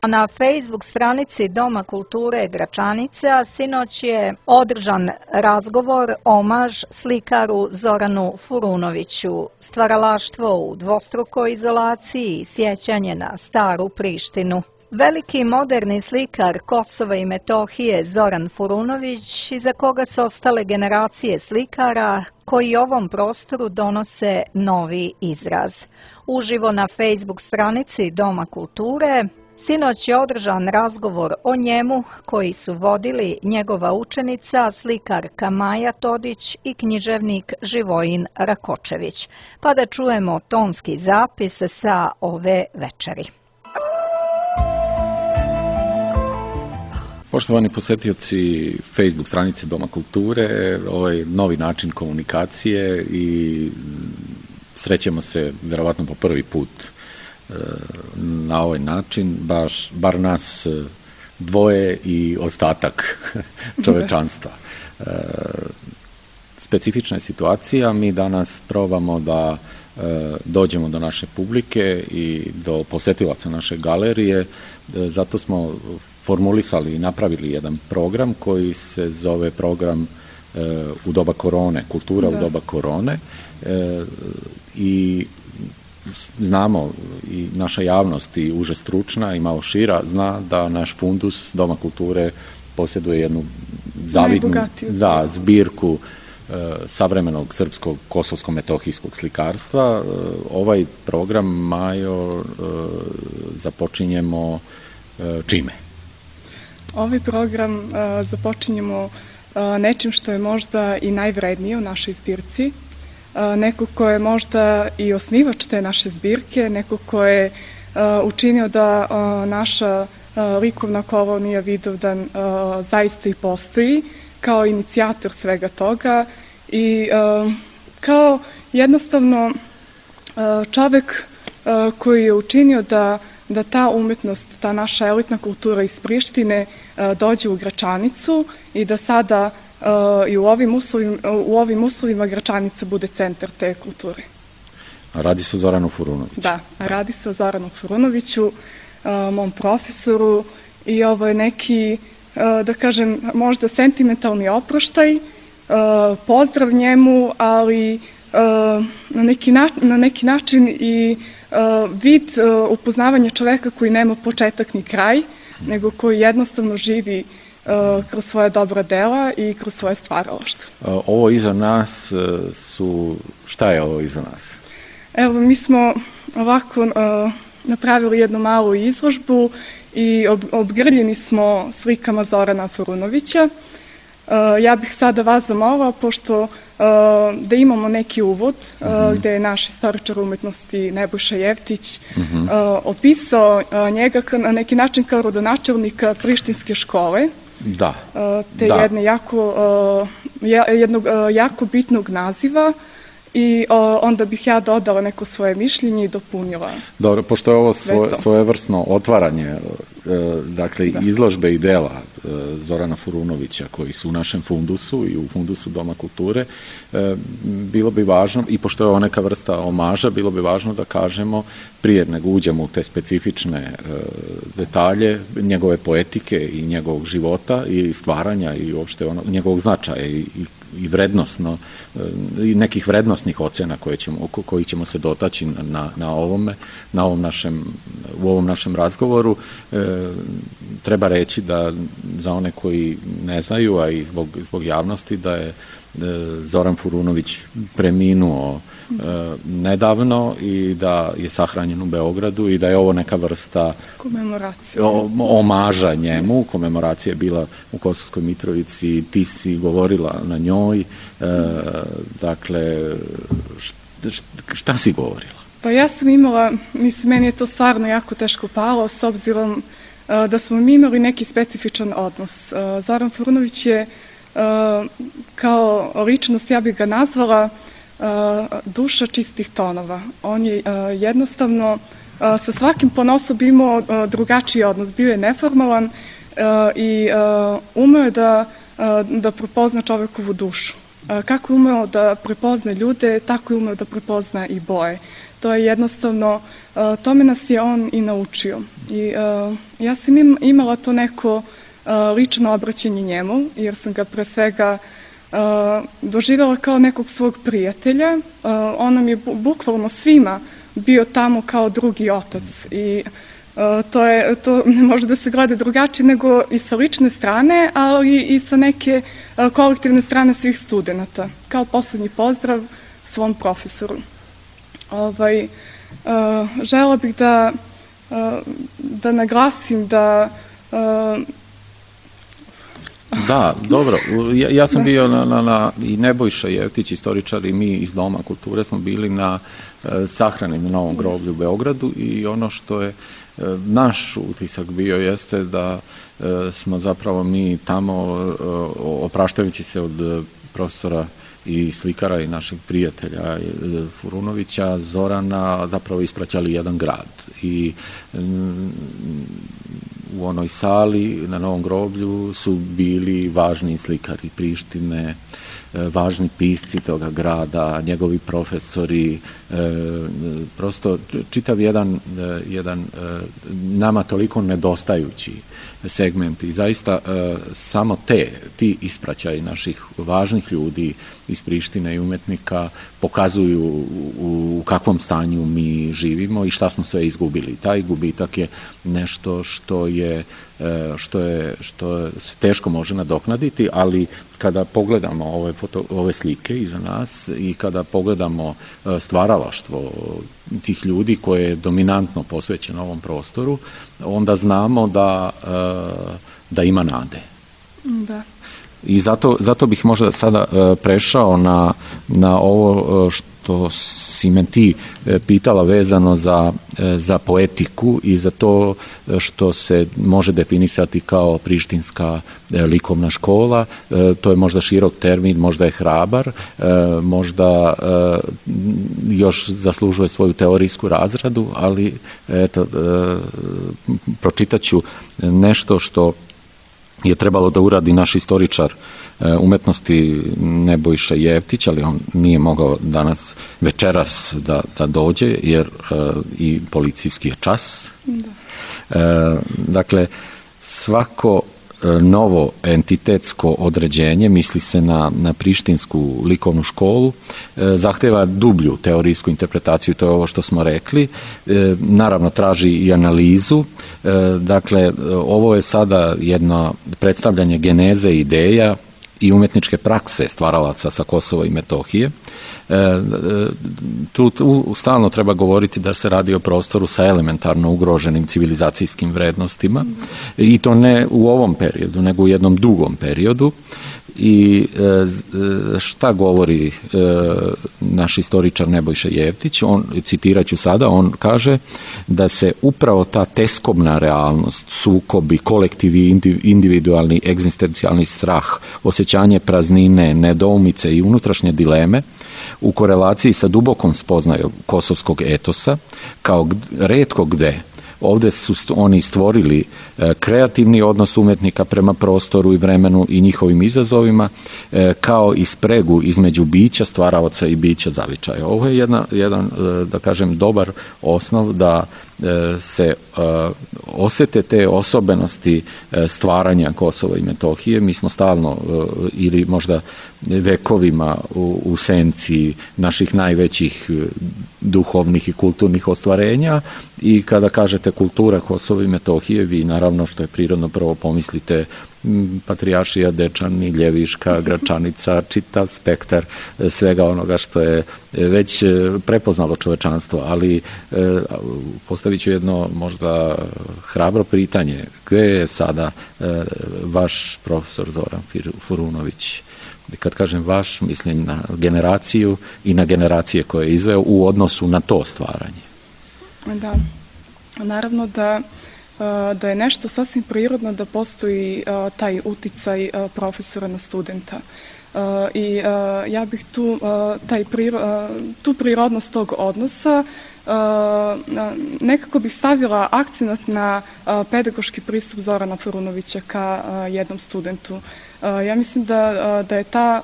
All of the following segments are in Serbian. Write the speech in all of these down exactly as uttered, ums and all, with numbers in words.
Na Facebook stranici Doma kulture Gračanica sinoć je održan razgovor omaž slikaru Zoranu Furunoviću, stvaralaštvo u dvostrukoj izolaciji i sjećanje na staru Prištinu. Veliki moderni slikar Kosova i Metohije Zoran Furunović, iza koga su ostale generacije slikara koji ovom prostoru donose novi izraz. Uživo na Facebook stranici Doma kulture sinoć je održan razgovor o njemu koji su vodili njegova učenica, slikarka Maja Todić i književnik Živojin Rakočević. Pa da čujemo tonski zapis sa ove večeri. Poštovani posetioci Facebook stranice Doma kulture, ovaj novi način komunikacije i srećemo se vjerovatno po prvi put na ovaj način, baš, bar nas dvoje i ostatak čovečanstva. Specifična je situacija, mi danas probamo da dođemo do naše publike i do posetilaca naše galerije, zato smo formulisali i napravili jedan program koji se zove program u doba korone, kultura da. u doba korone i znamo i naša javnost i uže stručna i malo šira zna da naš fundus Doma kulture posjeduje jednu zavidnu da, zbirku e, savremenog srpskog kosovsko-metohijskog slikarstva. E, ovaj program, Majo, e, započinjemo e, čime? Ovaj program e, započinjemo e, nečim što je možda i najvrednije u našoj zbirci. Neko ko je možda i osnivač te naše zbirke, neko ko je uh, učinio da uh, naša uh, likovna kolonija Vidovdan uh, zaista i postoji kao inicijator svega toga i uh, kao jednostavno uh, čovek uh, koji je učinio da, da ta umetnost, ta naša elitna kultura iz Prištine uh, dođe u Gračanicu i da sada Uh, i u ovim, uslovima, u ovim uslovima Gračanica bude centar te kulture. A radi se o Zoranu Furunoviću? Da, radi se o Zoranu Furunoviću, uh, mom profesoru i ovo je neki, uh, da kažem, možda sentimentalni oproštaj, uh, pozdrav njemu, ali uh, na, neki na, na neki način i uh, vid uh, upoznavanja čoveka koji nema početak ni kraj, nego koji jednostavno živi Uh, kroz svoje dobra dela i kroz svoje stvaralaštvo. Uh, ovo iza nas uh, su... Šta je ovo iza nas? Evo, mi smo ovako uh, napravili jednu malu izložbu i ob, obgrljeni smo slikama Zorana Furunovića. Uh, ja bih sada vas zamolila, pošto uh, da imamo neki uvod, uh, uh-huh. gde je naš istoričar umetnosti Nebojša Jeftić uh-huh. uh, opisao uh, njega na neki način kao rodonačelnika Prištinske škole. Da. Te da. jedne jako, jednog jako bitnog naziva i onda bih ja dodala neko svoje mišljenje i dopunila. Dobro, pošto je ovo svoje, svojevrsno otvaranje, dakle, da. izložbe i dela Zorana Furunovića koji su u našem fundusu i u fundusu Doma kulture, bilo bi važno, i pošto je ovo neka vrsta omaža, bilo bi važno da kažemo prije nego uđemo u te specifične e, detalje njegove poetike i njegovog života i stvaranja i uopšte ono, njegovog značaja i, i, i vrednostno e, i nekih vrednostnih ocena koje ćemo, koji ćemo se dotaći na, na ovome, na ovom našem, u ovom našem razgovoru. E, treba reći da za one koji ne znaju, a i zbog, zbog javnosti, da je Zoran Furunović preminuo e, nedavno i da je sahranjen u Beogradu i da je ovo neka vrsta komemoracije, omaža njemu. Komemoracija je bila u Kosovskoj Mitrovici, ti si govorila na njoj, e, dakle šta si govorila? Pa ja sam imala, mislim, meni je to stvarno jako teško palo s obzirom uh, da smo mi imali neki specifičan odnos. Uh, Zoran Furunović je Uh, kao ličnost, ja bih ga nazvala uh, duša čistih tonova. On je uh, jednostavno uh, sa svakim ponosom imao uh, drugačiji odnos. Bio je neformalan uh, i uh, umeo je da, uh, da prepozna čovekovu dušu. Uh, kako je umeo da prepozna ljude, tako je umeo da prepozna i boje. To je jednostavno tome nas je on i naučio. I ja sam imala to neko lično obraćanje njemu, jer sam ga pre svega doživjela kao nekog svog prijatelja. On nam je bukvalno svima bio tamo kao drugi otac i to, je, to ne može da se gleda drugačije nego i sa lične strane, ali i sa neke kolektivne strane svih studenta, kao poslednji pozdrav svom profesoru. Ovaj, žela bih da, da naglasim da Da, dobro. Ja, ja sam bio na, na, na i Nebojša Jeftić, istoričar, i mi iz Doma kulture smo bili na e, sahrani na Novom groblju u Beogradu, i ono što je e, naš utisak bio jeste da e, smo zapravo mi tamo, e, opraštajući se od profesora i slikara i naših prijatelja Furunovića, Zorana, zapravo ispraćali jedan grad. I mm, u onoj sali na Novom groblju su bili važni slikari Prištine, važni pisci toga grada, njegovi profesori, prosto čitav jedan, jedan nama toliko nedostajući segment, i zaista samo te, ti ispraćaji naših važnih ljudi iz Prištine i umetnika pokazuju u kakvom stanju mi živimo i šta smo sve izgubili. Taj gubitak je nešto što je što je što se teško može nadoknaditi, ali kada pogledamo ove foto, ove slike iza nas i kada pogledamo stvaralaštvo tih ljudi koje je dominantno posvećeno ovom prostoru, onda znamo da da ima nade. Da. I zato, zato bih možda sada prešao na, na ovo što si me ti pitala vezano za, za poetiku i za to što se može definisati kao prištinska likovna škola. To je možda širok termin, možda je hrabar, možda još zaslužuje svoju teorijsku razradu, ali eto, pročitat ću nešto što je trebalo da uradi naš istoričar umetnosti Nebojša Jeftić, ali on nije mogao danas večeras da, da dođe, jer uh, i policijski je čas. Da. Uh, dakle, svako uh, novo entitetsko određenje, misli se na, na prištinsku likovnu školu, uh, zahteva dublju teorijsku interpretaciju, to je ovo što smo rekli. Uh, naravno, traži i analizu. Uh, dakle, ovo je sada jedno predstavljanje geneze ideja i umetničke prakse stvaralaca sa Kosova i Metohije. Tu, tu stalno treba govoriti da se radi o prostoru sa elementarno ugroženim civilizacijskim vrednostima, i to ne u ovom periodu, nego u jednom dugom periodu. I šta govori naš istoričar Nebojša Jeftić? On, citirat ću sada, on kaže da se upravo ta teskobna realnost, sukobi, kolektivi, individualni, egzistencijalni strah, osjećanje praznine, nedoumice i unutrašnje dileme u korelaciji sa dubokom spoznajom kosovskog etosa, kao retko gde ovde su oni stvorili kreativni odnos umetnika prema prostoru i vremenu i njihovim izazovima, kao i spregu između bića stvaraoca i bića zavičaja. Ovo je jedna, jedan, da kažem, dobar osnov da se osete te osobenosti stvaranja Kosova i Metohije. Mi smo stalno, ili možda vekovima u, u senci naših najvećih duhovnih i kulturnih ostvarenja, i kada kažete kultura Kosova i Metohije, vi naravno, što je prirodno, prvo pomislite Patrijaršija, Dečani, Ljeviška, Gračanica, čitav spektar svega onoga što je već prepoznalo čovečanstvo, ali postavit ću jedno možda hrabro pitanje: gde je sada vaš profesor Zoran Furunović? Kad kažem vaš, mislim na generaciju i na generacije koje je izveo u odnosu na to stvaranje. Da, naravno da, da je nešto sasvim prirodno da postoji taj uticaj profesora na studenta. I ja bih tu, taj, tu prirodnost tog odnosa nekako bih stavila akcenat na pedagoški pristup Zorana Furunovića ka jednom studentu. Ja mislim da, da je ta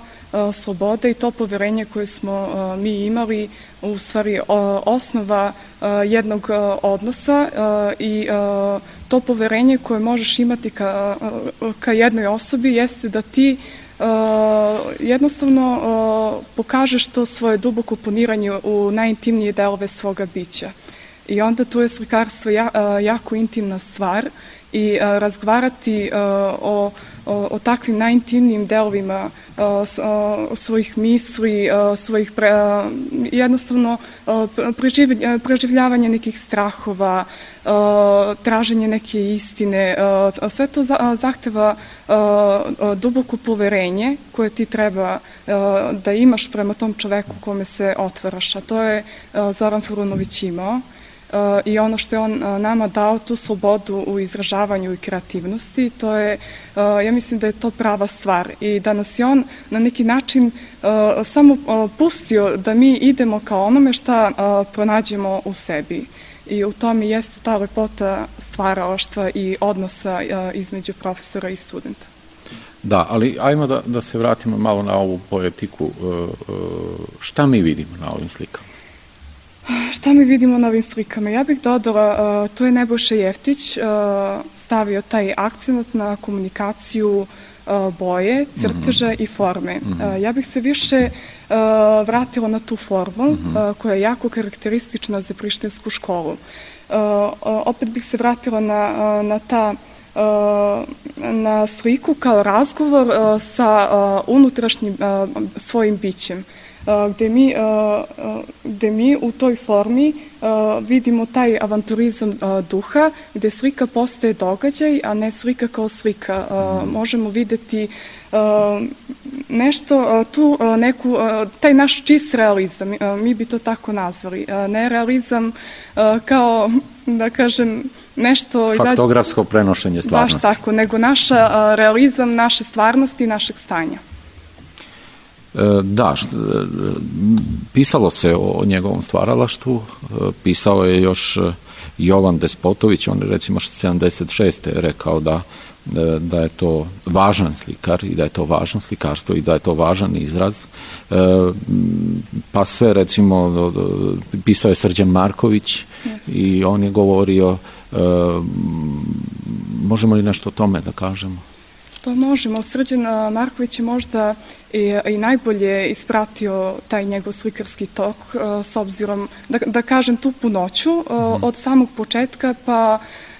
sloboda i to poverenje koje smo mi imali u stvari osnova jednog odnosa i to poverenje koje možeš imati ka, ka jednoj osobi jeste da ti jednostavno pokažeš to svoje duboko poniranje u najintimnije delove svoga bića. I onda tu je slikarstvo jako intimna stvar i razgovarati o, o, o takvim najintimnijim delovima svojih misli, svojih pre, jednostavno preživljavanje nekih strahova, traženje neke istine, sve to zahteva duboko poverenje koje ti treba da imaš prema tom čoveku kome se otvaraš, a to je Zoran Furunović imao. I ono što je on nama dao, tu slobodu u izražavanju i kreativnosti, to je, ja mislim da je to prava stvar i da nas je on na neki način samo pustio da mi idemo kao onome šta pronađemo u sebi. I u tome jeste ta lepota stvaralaštva i odnosa između profesora i studenta. Da, ali ajmo da, da se vratimo malo na ovu poetiku. Šta mi vidimo na ovim slikama? Šta mi vidimo na ovim slikama? Ja bih dodala, tu je Nebojša Jeftić stavio taj akcent na komunikaciju boje, crteža i forme. Ja bih se više vratila na tu formu koja je jako karakteristična za prištinsku školu. Opet bih se vratila na, na ta na sliku kao razgovor sa unutrašnjim svojim bićem. Gde mi, gde mi u toj formi vidimo taj avanturizam duha, gde slika postaje događaj, a ne slika kao slika. Možemo videti nešto, tu neku, taj naš čist realizam, mi bi to tako nazvali. Ne realizam kao, da kažem, nešto... Faktografsko prenošenje stvarnosti. Baš tako, nego naš realizam, naše stvarnosti i našeg stanja. Da, pisalo se o njegovom stvaralaštvu, pisao je još Jovan Despotović, on je recimo sedamdeset šeste rekao da, da je to važan slikar i da je to važno slikarstvo i da je to važan izraz. Pa sve recimo, pisao je Srđan Marković i on je govorio, možemo li nešto o tome da kažemo? Pa možemo. Srđan Marković je možda i, i najbolje ispratio taj njegov slikarski tok s obzirom, da, da kažem, tu punoću mm-hmm. od samog početka pa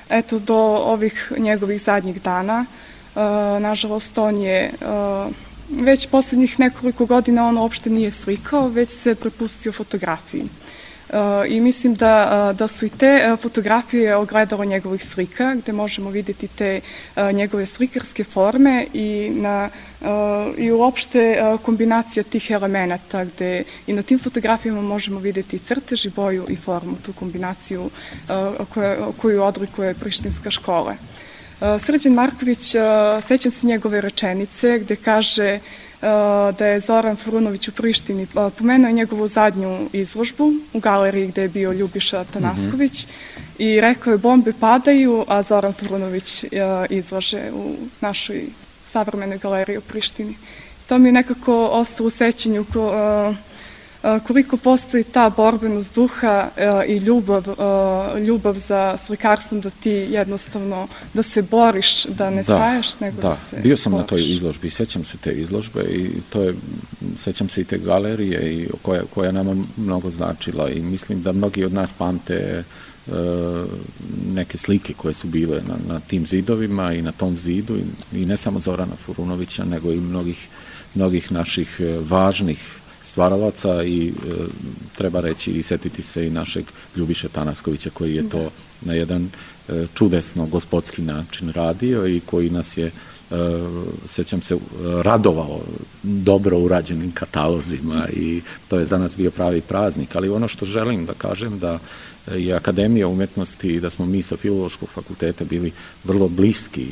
eto do ovih njegovih zadnjih dana. Nažalost, on je već posljednjih nekoliko godina on uopšte nije slikao, već se prepustio fotografiji. I mislim da, da su i te fotografije ogledalo njegovih slika, gde možemo vidjeti te njegove slikarske forme i, na, i uopšte kombinacija tih elemenata, gde i na tim fotografijama možemo vidjeti i crtež i boju i formu, tu kombinaciju koju, koju odlikuje prištinska škola. Srđan Marković, sećam se njegove rečenice gde kaže da je Zoran Furunović u Prištini pomenuo njegovu zadnju izložbu u galeriji gde je bio Ljubiša Tanasković mm-hmm. i rekao je bombe padaju, a Zoran Furunović izlaže u našoj savremenoj galeriji u Prištini. To mi je nekako ostalo u sećanju ko, koliko postoji ta borbenost duha i ljubav, ljubav za slikarstvom, da ti jednostavno da se boriš, da ne staješ, nego da, da se bio sam boriš. Na toj izložbi, sećam se te izložbe i to je, sećam se i te galerije i koja, koja nama mnogo značila i mislim da mnogi od nas pamte neke slike koje su bile na, na tim zidovima i na tom zidu i, i ne samo Zorana Furunovića, nego i mnogih, mnogih naših važnih stvaralaca i e, treba reći i setiti se i našeg Ljubiše Tanaskovića koji je to na jedan e, čudesno gospodski način radio i koji nas je, e, sećam se, radovao dobro urađenim katalozima i to je za nas bio pravi praznik, ali ono što želim da kažem da je Akademija umetnosti i da smo mi sa Filološkog fakulteta bili vrlo bliski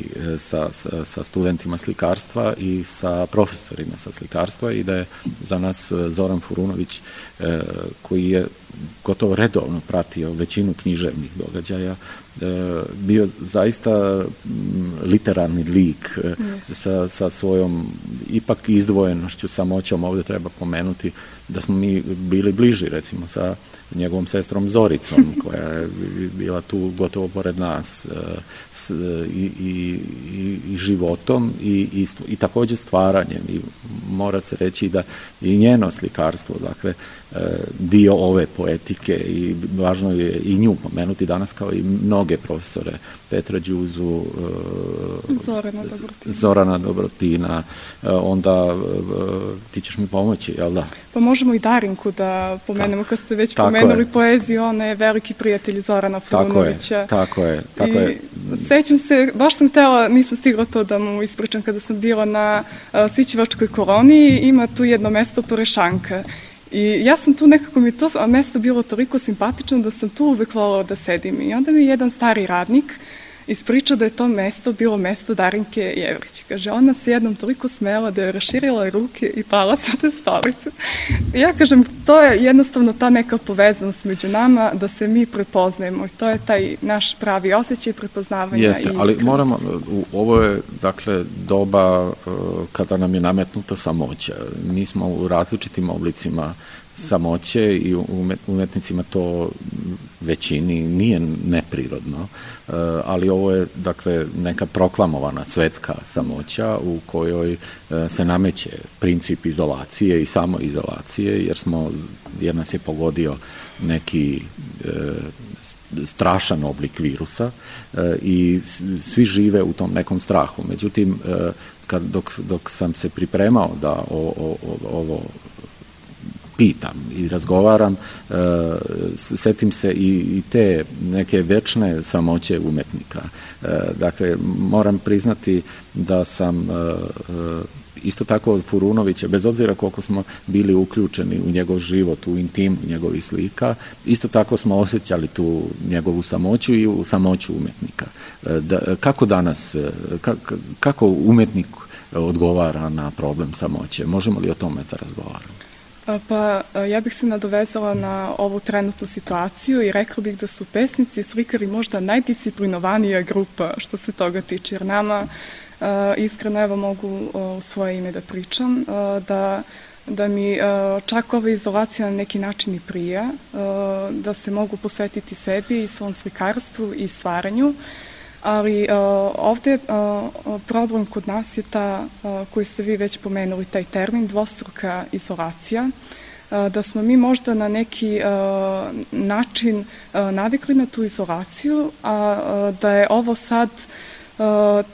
sa, sa, sa studentima slikarstva i sa profesorima sa slikarstva i da je za nas Zoran Furunović koji je gotovo redovno pratio većinu književnih događaja, bio zaista literarni lik sa, sa svojom ipak izdvojenošću, samoćom. Ovdje treba pomenuti da smo mi bili bliži recimo sa njegovom sestrom Zoricom koja je bila tu gotovo pored nas i, i, i životom i, i, i također stvaranjem i mora se reći da i njeno slikarstvo, dakle dio ove poetike i važno je i nju pomenuti danas kao i mnoge profesore, Petra Đuzu, Zorana Dobrotina, Zorana Dobrotina, onda ti ćeš mi pomoći, jel da? Pa možemo i Darinku da pomenemo, kad ste već tako pomenuli je. Poeziju, ona je veliki prijatelj Zorana Furunovića. Tako je, tako je. I sećam se, baš sam htjela, nisam stigla to da mu ispričam, kada sam bila na Sićevačkoj koloniji, ima tu jedno mesto Porešanka. I ja sam tu nekako mi to mesto bilo toliko simpatično da sam tu uvek volala da sedim. I onda mi je jedan stari radnik ispričao da je to mesto bilo mesto Darinke Jevrić. Kaže, ona se jednom toliko smela da je raširila ruke i pala sa te stolice. I ja kažem, to je jednostavno ta neka povezanost među nama, da se mi prepoznajemo. I to je taj naš pravi osjećaj prepoznavanja. Jeste, i ali moramo, ovo je dakle doba kada nam je nametnuta samoća. Mi smo u različitim oblicima samoće i umetnicima to većini nije neprirodno, ali ovo je dakle neka proklamovana svetska samoća u kojoj se nameće princip izolacije i samoizolacije, jer smo, jer nas je pogodio neki strašan oblik virusa i svi žive u tom nekom strahu. Međutim, kad, dok, dok sam se pripremao da o, o, ovo pitam i razgovaram, e, setim se i, i te neke večne samoće umetnika. E, dakle, moram priznati da sam e, isto tako od Furunovića, bez obzira koliko smo bili uključeni u njegov život, u intimu njegovih slika, isto tako smo osjećali tu njegovu samoću i u samoću umetnika. E, da, kako danas, kako, kako umetnik odgovara na problem samoće? Možemo li o tome da razgovaramo? Pa ja bih se nadovezala na ovu trenutnu situaciju i rekla bih da su pesnici i slikari možda najdisciplinovanija grupa što se toga tiče, jer nama, iskreno evo mogu u svoje ime da pričam, da, da mi čak ova izolacija na neki način i prija, da se mogu posvetiti sebi i svom slikarstvu i stvaranju. Ali uh, ovdje uh, problem kod nas je ta, uh, koji ste vi već pomenuli, taj termin, dvostruka izolacija, uh, da smo mi možda na neki uh, način uh, navikli na tu izolaciju, a uh, da je ovo sad uh,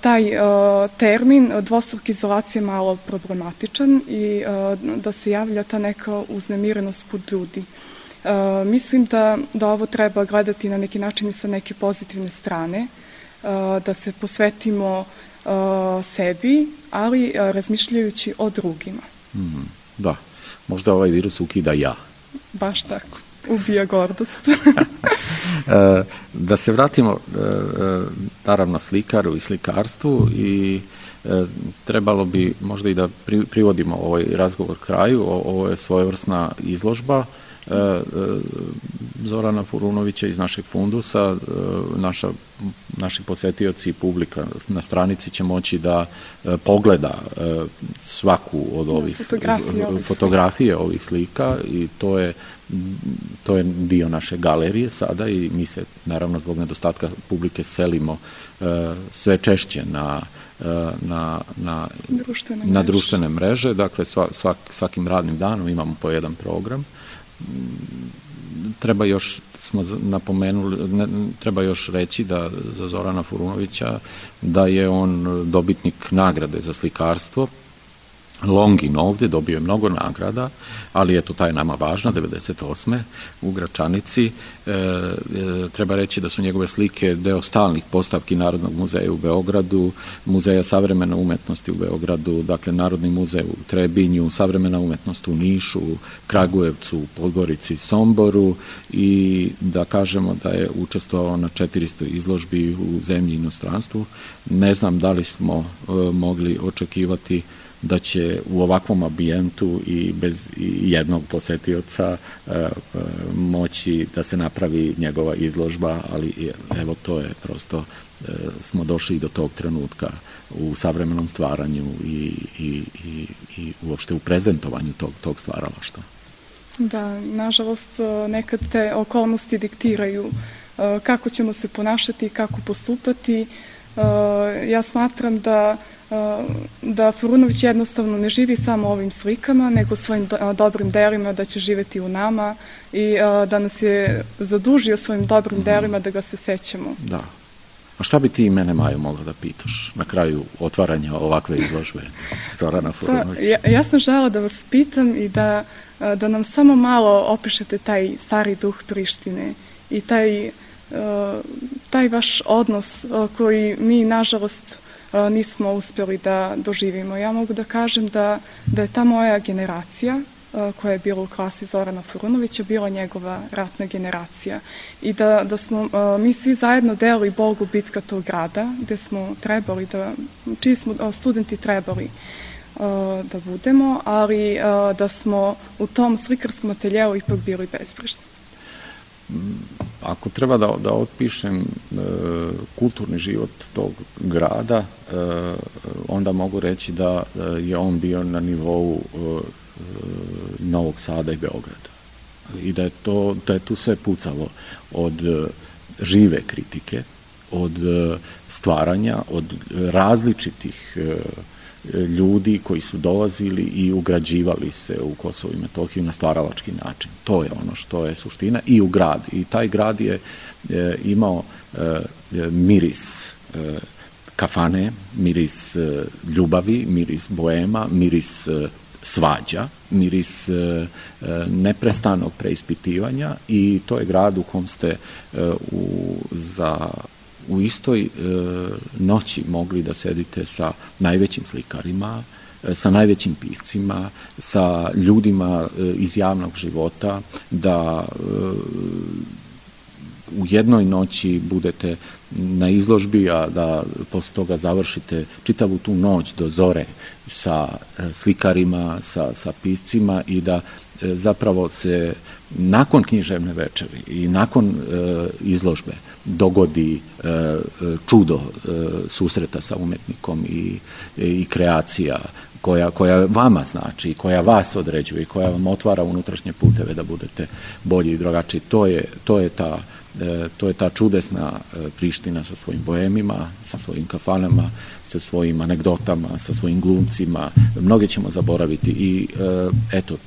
taj uh, termin dvostruka izolacija malo problematičan i uh, da se javlja ta neka uznemirenost kod ljudi. Uh, mislim da, da ovo treba gledati na neki način i sa neke pozitivne strane, da se posvetimo uh, sebi, ali uh, razmišljajući o drugima. Mm, da, možda ovaj virus ukida ja. Baš tako, ubija gordost. Da se vratimo naravno slikaru i slikarstvu i trebalo bi možda i da privodimo ovaj razgovor kraju. Ovo je svojevrsna izložba Zorana Furunovića iz našeg fundusa. Naša, naši posjetioci i publika na stranici će moći da pogleda svaku od ovih fotografije, ovih, fotografije ovih slika i to je, to je dio naše galerije sada i mi se naravno zbog nedostatka publike selimo sve češće na na, na, društvene, na društvene mreže. Dakle svak, svakim radnim danom imamo po jedan program. Treba još smo napomenuli, ne, treba još reći da za Zorana Furunovića da je on dobitnik nagrade za slikarstvo Longin ovdje, dobio je mnogo nagrada, ali je to taj nama važna, devedeset osme u Gračanici. E, e, treba reći da su njegove slike deo stalnih postavki Narodnog muzeja u Beogradu, Muzeja savremene umetnosti u Beogradu, dakle Narodni muzej u Trebinju, Savremena umetnost u Nišu, Kragujevcu, Podgorici, Somboru i da kažemo da je učestvovao na četiristo izložbi u zemlji i inostranstvu. Ne znam da li smo e, mogli očekivati da će u ovakvom ambijentu i bez jednog posetioca moći da se napravi njegova izložba, ali evo to je prosto, smo došli do tog trenutka u savremenom stvaranju i, i, i, i uopšte u prezentovanju tog, tog stvaralaštva. Da, nažalost, nekad te okolnosti diktiraju kako ćemo se ponašati i kako postupati. Ja smatram da da Furunović jednostavno ne živi samo ovim slikama, nego svojim dobrim delima, da će živeti u nama i da nas je zadužio svojim dobrim delima da ga se sećamo. Da. A šta bi ti mene, Majo, mogla da pitaš na kraju otvaranja ovakve izložbe Zorana Furunovića? Ja, ja sam žela da vas pitam i da, da nam samo malo opišete taj stari duh Prištine i taj, taj vaš odnos koji mi, nažalost, nismo uspjeli da doživimo. Ja mogu da kažem da, da je ta moja generacija koja je bila u klasi Zorana Furunovića bila njegova ratna generacija i da, da smo mi svi zajedno delili Bogu bitka tog grada gde smo trebali da, čiji smo studenti trebali da budemo, ali da smo u tom slikarskom ateljeu ipak bili bezbrižni. Ako treba da, da otpišem e, kulturni život tog grada, e, onda mogu reći da je on bio na nivou e, Novog Sada i Beograda. I da je, to, da je tu sve pucalo od žive kritike, od stvaranja, od različitih e, ljudi koji su dolazili i ugrađivali se u Kosovo i Metohiju na stvaralački način. To je ono što je suština i u grad. I taj grad je e, imao e, miris e, kafane, miris e, ljubavi, miris boema, miris e, svađa, miris e, neprestanog preispitivanja i to je grad u kom ste e, u, za u istoj e, noći mogli da sedite sa najvećim slikarima, e, sa najvećim piscima, sa ljudima e, iz javnog života, da e, u jednoj noći budete na izložbi, a da posle toga završite čitavu tu noć do zore sa e, slikarima, sa, sa piscima i da e, zapravo se nakon književne večeri i nakon e, izložbe dogodi e, čudo e, susreta sa umetnikom i, i kreacija koja, koja vama znači, koja vas određuje i koja vam otvara unutrašnje puteve da budete bolji i drugačiji. To je, to je ta e, to je ta čudesna e, Priština sa svojim boemima, sa svojim kafanama, sa svojim anegdotama, sa svojim glumcima. Mnoge ćemo zaboraviti i e, eto, e,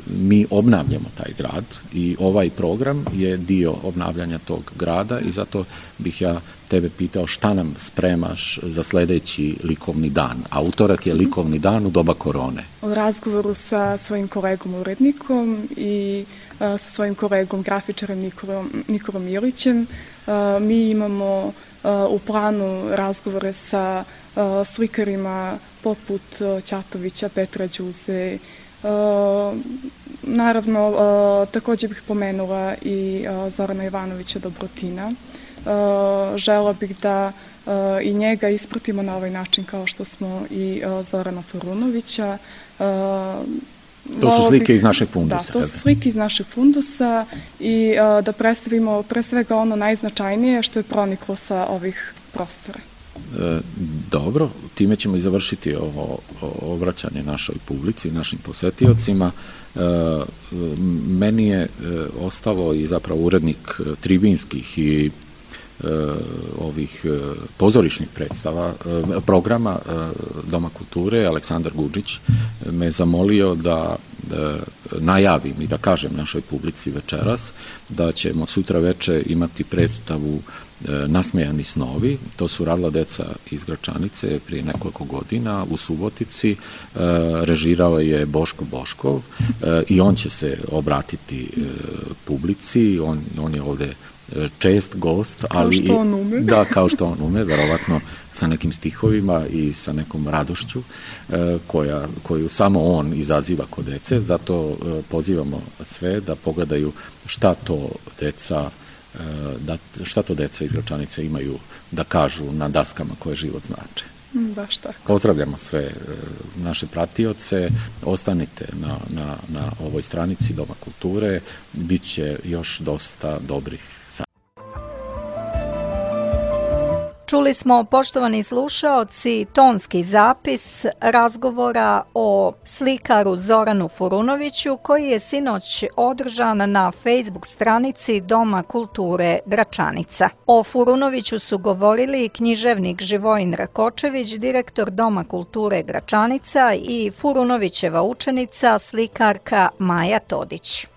mi obnavljamo taj grad i ovaj program je dio obnavljanja tog grada i zato bih ja tebe pitao šta nam spremaš za sledeći likovni dan. A utorak je likovni dan u doba korone. U razgovoru sa svojim kolegom urednikom i sa svojim kolegom grafičarem Nikolom, Nikolom Ilićem mi imamo u planu razgovore sa slikarima poput Ćatovića, Petra Đuze. Naravno, također bih pomenula i Zorana Ivanovića Dobrotina. Žela bih da i njega ispratimo na ovaj način kao što smo i Zorana Furunovića. To su slike iz našeg fundusa. Da, to su slike iz našeg fundusa i da predstavimo pre svega ono najznačajnije što je proniklo sa ovih prostora. E, dobro, time ćemo i završiti ovo obraćanje našoj publici, našim posetiocima. E, meni je e, ostalo i zapravo urednik tribinskih i ovih pozorišnih predstava, programa Doma kulture, Aleksandar Guđić me zamolio da najavim i da kažem našoj publici večeras da ćemo sutra veče imati predstavu Nasmejani snovi. To su radila deca iz Gračanice prije nekoliko godina u Subotici. Režirao je Boško Boškov i on će se obratiti publici. On, on je ovde čest gost, ali kao što on ume. Da, kao što on ume, verovatno sa nekim stihovima i sa nekom radošću koja, koju samo on izaziva kod dece, zato pozivamo sve da pogledaju šta to deca da, šta to deca iz Gračanice imaju da kažu na daskama koje život znače. Baš tako. Pozdravljamo sve naše pratioce, ostanite na, na, na ovoj stranici Doma kulture, bit će još dosta dobrih. Čuli smo, poštovani slušaoci, tonski zapis razgovora o slikaru Zoranu Furunoviću koji je sinoć održan na Facebook stranici Doma kulture Gračanica. O Furunoviću su govorili književnik Živojin Rakočević, direktor Doma kulture Gračanica i Furunovićeva učenica slikarka Maja Todić.